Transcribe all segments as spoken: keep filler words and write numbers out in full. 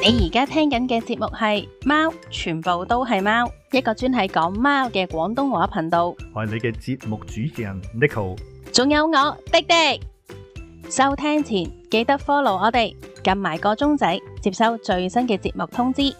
你而家聽緊嘅節目係貓，全部都係貓，一個專係講貓嘅廣東話頻道。我係你嘅節目主持人 Neko， 仲有我廸廸。收聽前記得 follow 我哋，撳埋個鐘仔，接收最新嘅節目通知。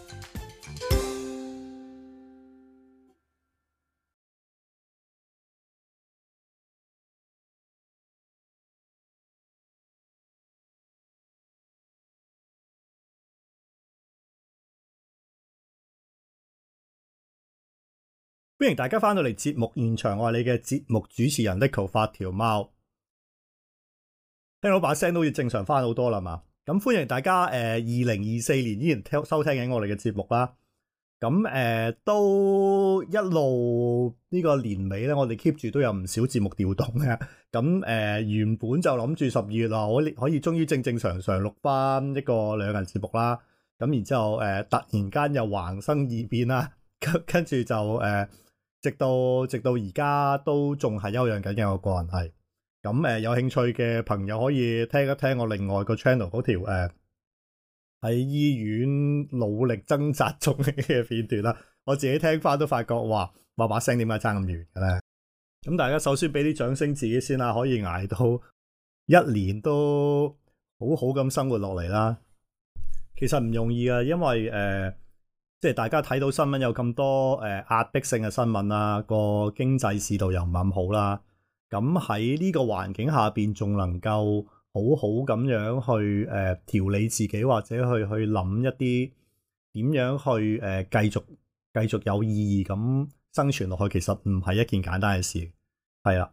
歡迎大家翻到嚟節目現場，我係你嘅節目主持人 Neko 發條貓，聽到把聲都好似正常翻好多啦嘛。咁歡迎大家誒，二零二四年依然聽收聽緊我哋嘅節目啦。咁誒、呃、都一路呢個年尾咧，我哋 keep 住都有唔少節目調動嘅。咁誒、呃、原本就諗住十二月啊，可以可以終於正正常常錄翻一個兩人節目啦。咁然之後誒、呃、突然間又橫生異變啦，跟跟住就誒。呃直到直到而家都仲係休養緊嘅，我個人係咁誒，有興趣嘅朋友可以聽一聽我另外個 channel 嗰條誒喺、呃、醫院努力掙扎中嘅片段啦。我自己聽翻都發覺，哇，話把聲點解差咁遠嘅咧？咁大家首先俾啲掌聲自己先啦，可以捱到一年都好好咁生活落嚟啦。其實唔容易啊，因為誒。呃即係大家睇到新聞有咁多誒、呃、壓迫性嘅新聞啦，個經濟市道又唔係咁好啦。咁喺呢個環境下邊，仲能夠好好咁樣去誒、呃、調理自己，或者去去諗一啲點樣去誒、呃、繼續繼續有意義咁生存落去，其實唔係一件簡單嘅事。係啦，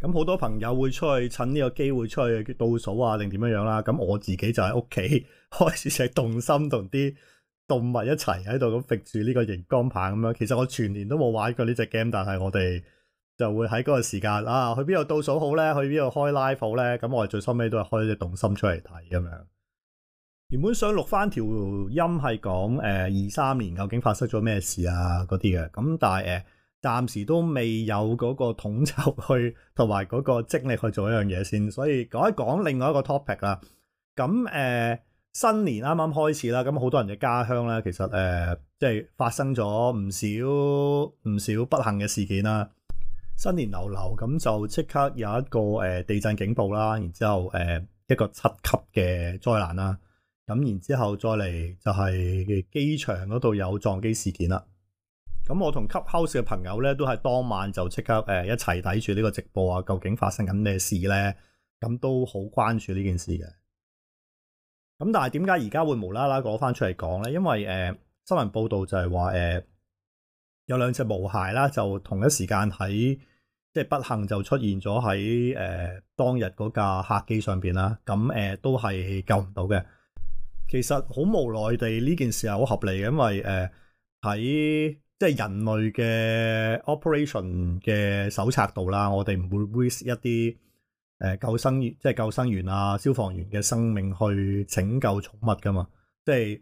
咁好多朋友會出去趁呢個機會出去倒數啊，定點樣樣啦。咁我自己就喺屋企開始就係動心同啲動物一齊喺度咁揈住呢個熒光棒咁樣，其實我全年都冇玩過呢隻 game，但係我哋就會喺嗰個時間啊，去邊度倒數好咧？去邊度開 live 好咧？咁我哋最收尾都係開一隻動心出嚟睇咁樣。原本想錄翻條音係講誒二三年究竟發生咗咩事啊嗰啲嘅，咁但係誒暫時都未有嗰個統籌去同埋嗰個精力去做一樣嘢先，所以講一講另外一個 topic 啦。咁誒。呃新年啱啱開始啦，咁好多人嘅家鄉咧，其實誒、呃、即係發生咗唔少唔少不幸嘅事件啦。新年流流咁就即刻有一個誒、呃、地震警報啦，然之後誒、呃、一個七級嘅災難啦，咁然之後再嚟就係機場嗰度有撞機事件啦。咁我同 Clubhouse 嘅朋友咧都係當晚就即刻誒、呃、一齊睇住呢個直播啊，究竟發生緊咩事咧？咁都好關注呢件事嘅。咁但係點解而家會無啦啦攞翻出嚟講咧？因為誒、呃、新聞報道就係話誒有兩隻毛孩啦，就同一時間喺即係不幸就出現咗喺誒當日嗰架客機上邊啦。咁誒、呃、都係救唔到嘅。其實好無奈地呢件事係好合理嘅，因為誒喺即係人類嘅 operation 嘅手冊度啦，我哋唔會 risk 一啲。誒，救生員即係救生員啊，消防員嘅生命去拯救寵物噶嘛？即係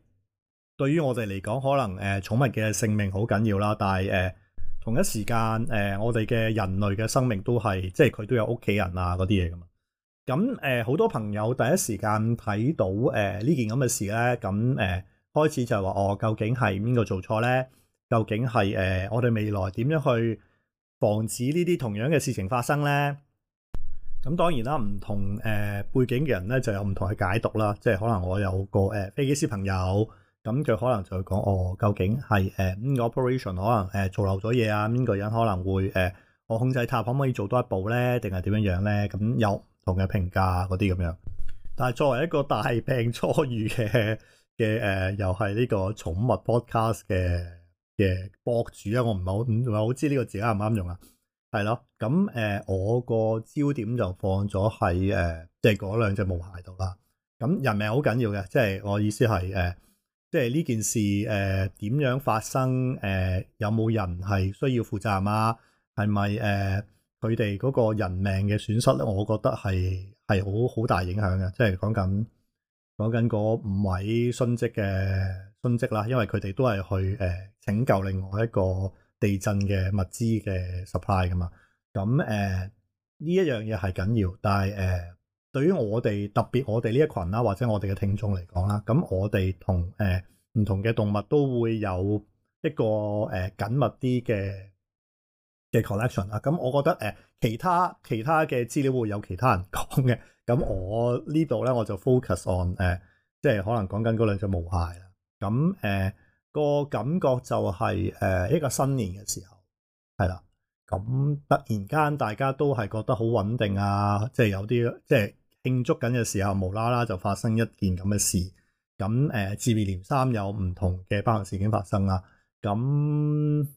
對於我哋嚟講，可能誒寵物嘅性命好緊要啦，但係誒、呃、同一時間誒、呃、我哋嘅人類嘅生命都係即係佢都有屋企人啊嗰啲嘢噶嘛。咁誒好多朋友第一時間睇到誒呢、呃、件咁嘅事咧，咁誒、呃、開始就係話哦，究竟係邊個做錯咧？究竟係誒、呃、我哋未來點樣去防止呢啲同樣嘅事情發生咧？咁當然啦，唔同誒、呃、背景嘅人咧就有唔同嘅解讀啦。即係可能我有個誒、呃、飛機師朋友，咁佢可能就會講哦，究竟係誒呢個 operation 可能誒、呃、做漏咗嘢啊？邊個人可能會誒、呃、我控制塔可唔可以做多一步咧？定係點樣樣咧？咁有唔同嘅評價嗰啲咁樣。但係作為一個大病初愈嘅嘅誒，又係呢個寵物 podcast 嘅嘅博主啊，我唔係好唔係好知呢個字啱唔啱用啊？係咯，咁誒、呃，我個焦點就放咗喺誒，即係嗰兩隻毛孩度啦。咁人命好緊要嘅，即係我意思係誒、呃，即係呢件事誒點、呃、樣發生？誒、呃、有冇人係需要負責任啊？係咪誒佢哋嗰個人命嘅損失咧？我覺得係係好好大影響嘅，即係講緊講緊嗰五位殉職嘅殉職啦，因為佢哋都係去誒、呃、拯救另外一個地震嘅物資嘅 supply 噶嘛，咁誒呢一樣嘢係緊要，但係誒、呃、對於我哋特別我哋呢一群啦，或者我哋嘅聽眾嚟講啦，咁我哋同誒唔同嘅動物都會有一個誒、呃、緊密啲嘅嘅 collection 啊。咁我覺得誒、呃、其他其他嘅資料會有其他人講嘅，咁我呢度咧我就 focus on 誒、呃，即係可能講緊嗰兩隻毛蟹啦。咁誒、呃個感覺就係、是、誒、呃、一個新年嘅時候，係啦。咁突然間大家都係覺得好穩定啊，即係有啲即係慶祝緊嘅時候，無啦啦就發生一件咁嘅事。咁誒接二連三有唔同嘅不幸事件發生啦。咁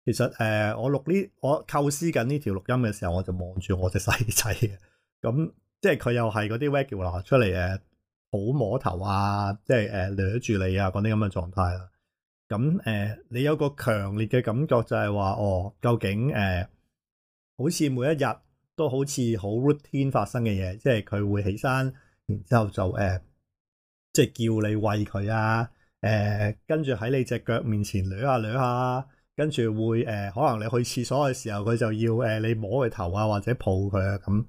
其實誒、呃、我錄呢我構思緊呢條錄音嘅時候，我就望住我隻細仔嘅。咁即係佢又係嗰啲 regular 出嚟誒。好摸頭啊，即係誒掠住你啊嗰啲咁嘅狀態啦。咁誒、呃，你有個強烈嘅感覺就係話，哦，究竟誒、呃，好似每一日都好似好 routine 發生嘅嘢，即係佢會起身，然之後就誒、呃，即係叫你餵佢啊，誒、呃，跟住喺你隻腳面前掠下掠下，跟住會誒、呃，可能你去廁所嘅時候，佢就要誒、呃、你摸佢頭啊，或者抱佢啊咁。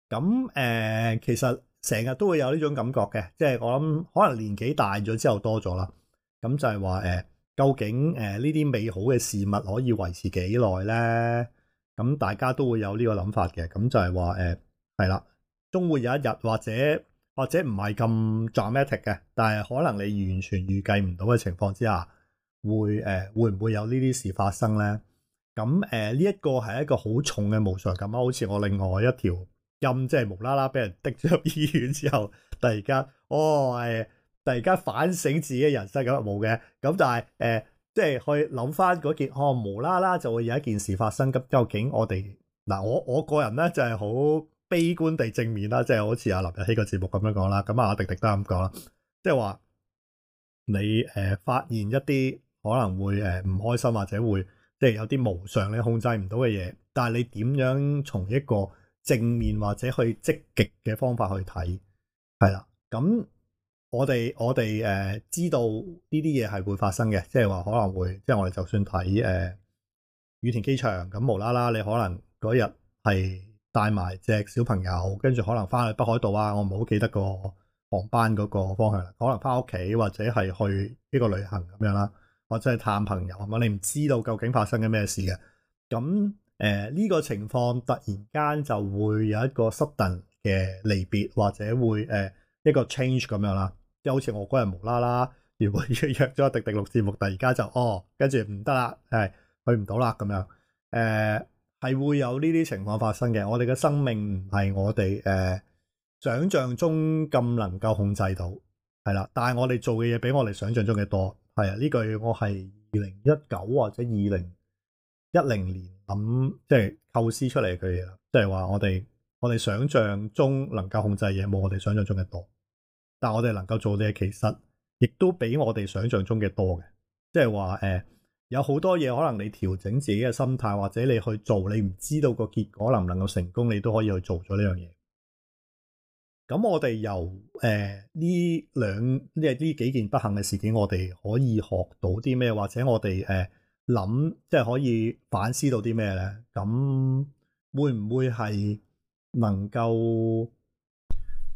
咁誒、呃，其實。成日都會有呢種感覺嘅，即係我諗可能年紀大咗之後多咗啦。咁就係話誒，究竟誒呢啲美好嘅事物可以維持幾耐咧？咁大家都會有呢個諗法嘅。咁就係話誒係啦，終會有一日或者或者唔係咁 dramatic 嘅，但係可能你完全預計唔到嘅情況之下，會誒、呃、會唔會有呢啲事發生咧？咁誒呢一個係一個好重嘅無常感啊，好似我另外一條。咁即係無啦啦俾人滴咗入醫院之後，突然間哦係，突然間反省自己嘅人生咁冇嘅，咁但係誒、呃、即係去諗翻嗰件哦無啦啦就會有一件事發生，咁究竟我哋嗱我我個人咧就係、是、好悲觀地正面啦，即係好似阿林日曦個節目咁樣講啦，咁啊阿迪迪都係咁講啦，即係話你誒、呃、發現一啲可能會誒唔開心或者會即係有啲無常你控制唔到嘅嘢，但係你點樣從一個正面或者去積極嘅方法去睇，係啦。咁我哋我哋誒、呃、知道呢啲嘢係會發生嘅，即係話可能會，即係我哋就算睇誒、呃、羽田機場咁無啦啦，你可能嗰日係帶埋隻小朋友，跟住可能翻去北海道啊，我唔係好記得個航班嗰個方向啦，可能翻屋企或者係去呢個旅行咁樣啦，或者係探朋友，咁你唔知道究竟發生緊咩事嘅，咁。誒呢、呃這個情況突然間就會有一個 sudden 嘅離別，或者會誒、呃、一個 change 咁樣啦，即係好似我嗰日無啦啦，原本約咗迪迪錄節目，突然間就哦，跟住唔得啦，係去唔到啦咁樣，誒、呃、係會有呢啲情況發生嘅。我哋嘅生命唔係我哋誒、呃、想像中咁能夠控制到，係啦，但係我哋做嘅嘢比我哋想像中嘅多，係啊，呢句我係二零一九或者二零一零年咁即係構思出嚟嘅嘢啦，即係話我哋我哋想象中能夠控制嘢冇我哋想象中嘅多，但係我哋能夠做嘅嘢其實亦都比我哋想象中嘅多嘅，即係話誒有好多嘢可能你調整自己嘅心態或者你去做，你唔知道個結果能唔能夠成功，你都可以去做咗呢樣嘢。咁我哋由誒呢兩呢呢幾件不幸嘅事件，我哋可以學到啲咩，或者我哋誒。呃諗即係可以反思到啲咩咧？咁會唔會係能夠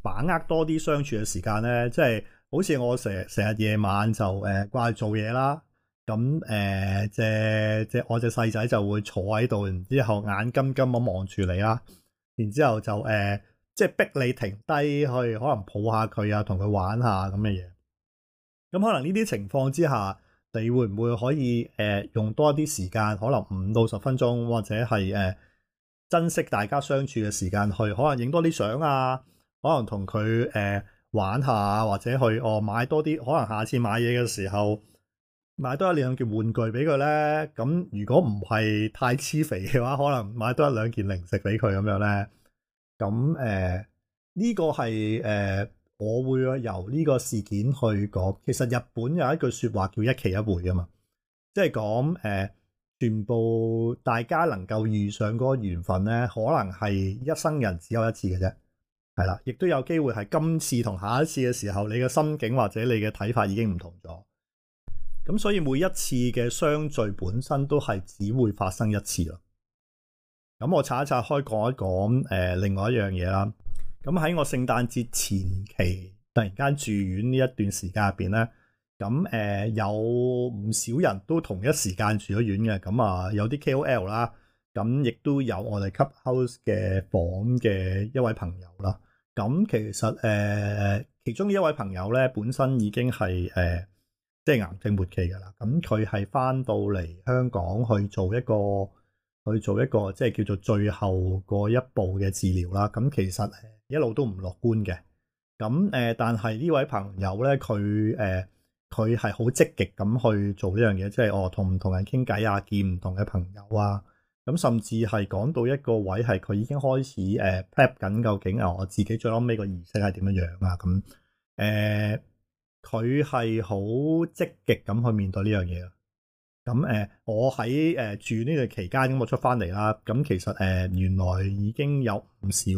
把握多啲相處嘅時間咧？即係好似我成成日夜晚就誒掛住做嘢啦，咁誒隻隻我隻細仔就會坐喺度，然之後眼金金咁望住你啦，然之後就誒、呃、即係逼你停低去，可能抱下佢啊，同佢玩下咁嘅嘢。咁可能呢啲情況之下。你會唔會可以誒、呃、用多啲時間，可能五到十分鐘，或者係誒、呃、珍惜大家相處嘅時間，去可能影多啲相啊，可能同佢誒玩下，或者去哦買多啲，可能下次買嘢嘅時候買多一兩件玩具俾佢咧。咁如果唔係太黐肥嘅話，可能買多一兩件零食俾佢咁樣咧。咁誒呢個係誒。呃我會由呢個事件去講，其實日本有一句說話叫一期一會噶嘛，即係講誒，全部大家能夠遇上嗰個緣分咧，可能係一生人只有一次嘅啫，係啦，亦都有機會係今次同下一次嘅時候，你嘅心境或者你嘅睇法已經唔同咗，咁所以每一次嘅相聚本身都係只會發生一次咯。咁我拆一拆開講一講誒、呃，另外一樣嘢啦。咁喺我聖誕節前期突然間住院呢一段時間入邊咧，咁誒、呃、有唔少人都同一時間住咗院嘅，咁啊有啲 K O L 啦，咁亦都有我哋 Clubhouse 嘅房嘅一位朋友啦。咁其實誒、呃、其中一位朋友咧，本身已經係誒、呃、即係癌症末期㗎啦。咁佢係翻到嚟香港去做一個去做一個即係叫做最後嗰一步嘅治療啦。咁其實一路都唔樂觀嘅。咁誒、呃，但係呢位朋友咧，佢誒佢係好積極咁去做呢樣嘢，即係我同唔同人傾偈啊，見唔同嘅朋友啊。咁甚至係講到一個位係佢已經開始誒、呃、prep 緊，究竟啊我自己最後尾個儀式係點樣樣啊？咁誒佢係好積極咁去面對呢樣嘢啊！咁誒、呃、我喺誒、呃、住呢段期間咁我出翻嚟啦，咁其實誒、呃、原來已經有唔少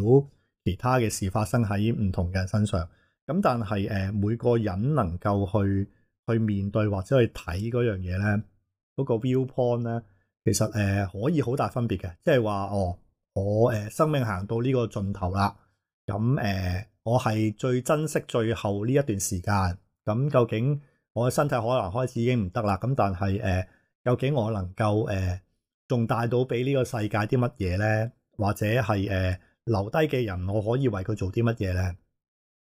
其他嘅事發生喺唔同嘅人身上，咁但係誒、呃、每個人能夠去去面對或者去睇嗰樣嘢咧，嗰、那個 viewpoint 咧。其實誒、呃、可以好大分別嘅，即係話哦，我誒、呃、生命行到呢個盡頭啦，咁誒、呃、我係最珍惜最後呢一段時間，咁究竟我嘅身體可能開始已經唔得啦，咁但係誒、呃、究竟我能夠誒仲帶到俾呢個世界啲乜嘢咧？或者係誒、呃、留低嘅人，我可以為佢做啲乜嘢咧？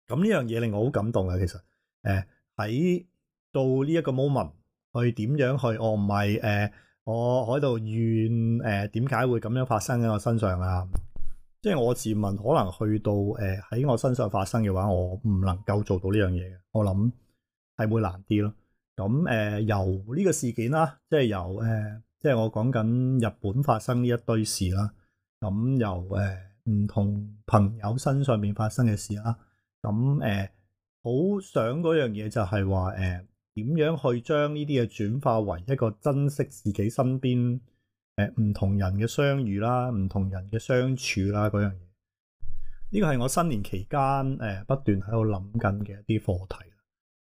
咁呢樣嘢令我好感動嘅，其實誒喺、呃、到呢一個 moment 去點樣去，我唔係誒。呃我喺度怨誒點解會咁樣發生喺我身上啊？即係我自問，可能去到誒喺、呃、我身上發生嘅話，我唔能夠做到呢樣嘢嘅。我諗係會難啲咯。咁誒、呃、由呢個事件啦，即係由誒、呃、即係我講緊日本發生呢一堆事啦。咁由誒唔、呃、同朋友身上面發生嘅事啦。咁誒好想嗰樣嘢就係話誒。呃點樣去將呢啲嘢轉化為一個珍惜自己身邊誒唔同人嘅相遇啦，唔同人嘅相處啦嗰樣嘢？呢個係我新年期間誒、呃、不斷喺度諗緊嘅一啲課題。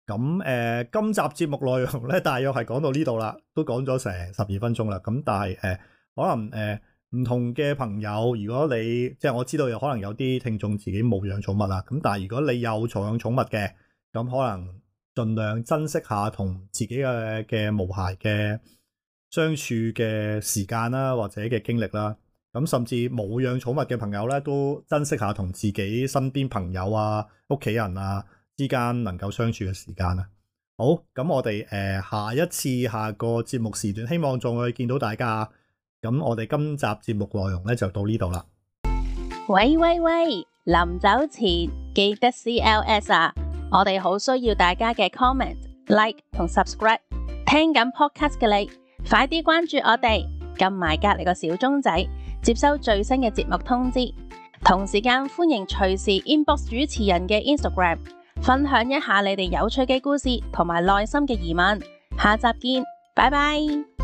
咁誒、呃，今集節目內容咧，大約係講到呢度啦，都講咗成十二分鐘啦。咁但係誒、呃，可能誒唔、呃、同嘅朋友，如果你即係我知道有可能有啲聽眾自己冇養寵物啦，咁但係如果你有寵養寵物嘅，咁可能。盡量珍惜下同自己嘅嘅毛孩嘅相處嘅時間啦，或者嘅經歷啦。咁甚至冇養寵物嘅朋友咧，都珍惜下同自己身邊朋友啊、屋企人啊之間能夠相處嘅時間啦。好，咁我哋誒、呃、下一次下個節目時段，希望仲會見到大家。咁我哋今集節目內容咧就到呢度啦。喂喂喂，臨走前記得 C L S 啊！我哋好需要大家嘅 comment、like 同 subscribe。聽緊 podcast 嘅你，快啲關注我哋，撳埋隔籬個小鐘仔，接收最新嘅節目通知。同時間歡迎隨時 inbox 主持人嘅 Instagram， 分享一下你哋有趣嘅故事同埋內心嘅疑問。下集見，拜拜。